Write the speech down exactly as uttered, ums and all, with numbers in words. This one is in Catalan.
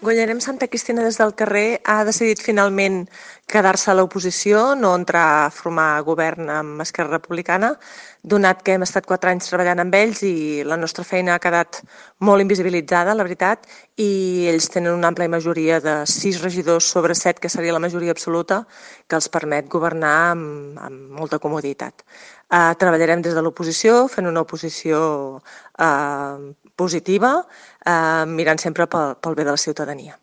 Guanyarem Santa Cristina des del carrer ha decidit finalment quedar-se a l'oposició, no entrar a formar govern amb Esquerra Republicana, donat que hem estat quatre anys treballant amb ells i la nostra feina ha quedat molt invisibilitzada, la veritat, i ells tenen una àmplia majoria de sis regidors sobre set, que seria la majoria absoluta, que els permet governar amb, amb molta comoditat. Uh, treballarem des de l'oposició, fent una oposició uh, positiva, uh, mirant sempre pel, pel bé de la ciutadania.